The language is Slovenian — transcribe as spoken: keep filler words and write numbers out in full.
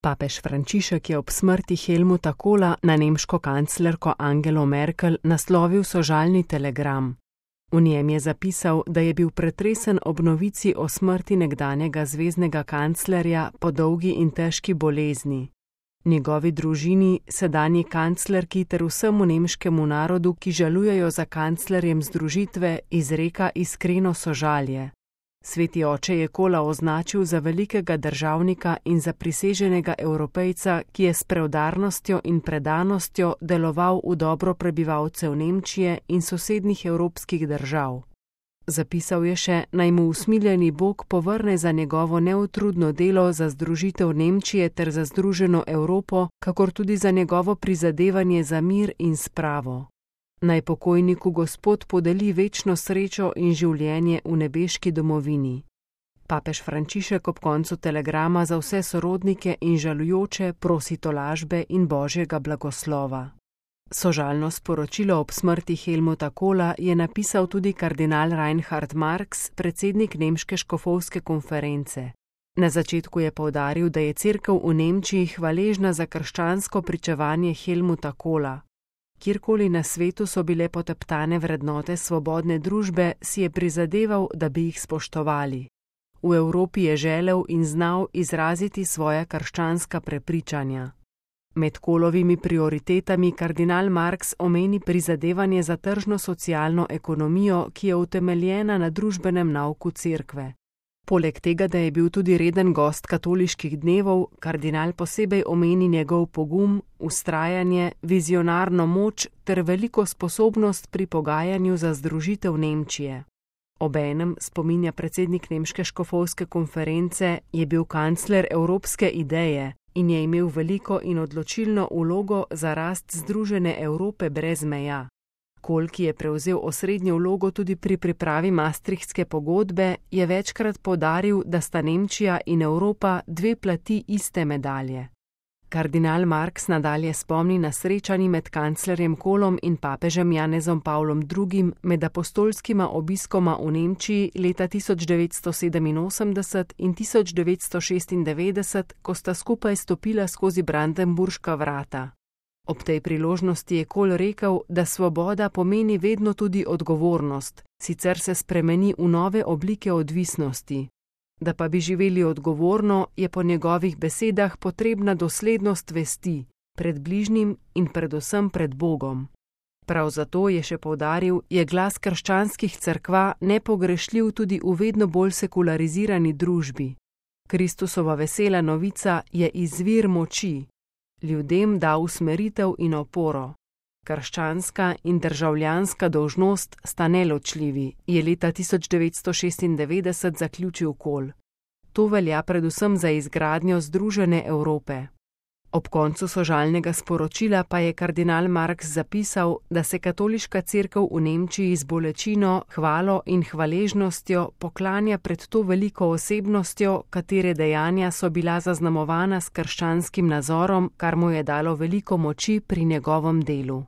Papež Frančišek je ob smrti Helmuta Kohla na nemško kanclerko Angelo Merkel naslovil sožalni telegram. V njem je zapisal, da je bil pretresen ob novici o smrti nekdanjega zveznega kanclerja po dolgi in težki bolezni. Njegovi družini, sedanji kanclerki ter vsemu nemškemu narodu, ki žalujejo za kanclerjem združitve, izreka iskreno sožalje. Sveti oče je Kohla označil za velikega državnika in za priseženega Evropejca, ki je s preudarnostjo in predanostjo deloval v dobro prebivalcev Nemčije in sosednjih evropskih držav. Zapisal je še, naj mu usmiljeni Bog povrne za njegovo neutrudno delo za združitev Nemčije ter za združeno Evropo, kakor tudi za njegovo prizadevanje za mir in spravo. Naj pokojniku Gospod podeli večno srečo in življenje v nebeški domovini. Papež Frančišek ob koncu telegrama za vse sorodnike in žalujoče prosi tolažbe in božjega blagoslova. Sožalno sporočilo ob smrti Helmuta Kohla je napisal tudi kardinal Reinhard Marx, predsednik nemške škofovske konference. Na začetku je poudaril, da je cerkev v Nemčiji hvaležna za krščansko pričevanje Helmuta Kohla. Kjerkoli na svetu so bile poteptane vrednote svobodne družbe, si je prizadeval, da bi jih spoštovali. V Evropi je želel in znal izraziti svoja krščanska prepričanja. Med Kohlovimi prioritetami kardinal Marx omeni prizadevanje za tržno-socialno ekonomijo, ki je utemeljena na družbenem nauku cerkve. Poleg tega, da je bil tudi reden gost katoliških dnevov, kardinal posebej omeni njegov pogum, vztrajanje, vizionarno moč ter veliko sposobnost pri pogajanju za združitev Nemčije. Obenem, spominja predsednik nemške škofovske konference, je bil kancler evropske ideje in je imel veliko in odločilno vlogo za rast združene Evrope brez meja. Kohl, ki je prevzel osrednjo vlogo tudi pri pripravi Maastrichtske pogodbe, je večkrat poudaril, da sta Nemčija in Evropa dve plati iste medalje. Kardinal Marx nadalje spomni na srečanji med kanclerjem Kohlom in papežem Janezom Pavlom drugim med apostolskima obiskoma v Nemčiji leta tisoč devetsto sedeminosemdeset in tisoč devetsto šestindevetdeset, ko sta skupaj stopila skozi Brandenburška vrata. Ob tej priložnosti je Kohl rekel, da svoboda pomeni vedno tudi odgovornost, sicer se spremeni v nove oblike odvisnosti. Da pa bi živeli odgovorno, je po njegovih besedah potrebna doslednost vesti, pred bližnjim in predvsem pred Bogom. Prav zato, je še poudaril, je glas krščanskih cerkva nepogrešljiv tudi v vedno bolj sekularizirani družbi. Kristusova vesela novica je izvir moči. Ljudem da usmeritev in oporo. Krščanska in državljanska dolžnost sta neločljivi, je leta tisoč devetsto šestindevetdeset zaključil Kohl. To velja predvsem za izgradnjo združene Evrope. Ob koncu sožalnega sporočila pa je kardinal Marx zapisal, da se katoliška cerkev v Nemčiji z bolečino, hvalo in hvaležnostjo poklanja pred to veliko osebnostjo, katere dejanja so bila zaznamovana s krščanskim nazorom, kar mu je dalo veliko moči pri njegovem delu.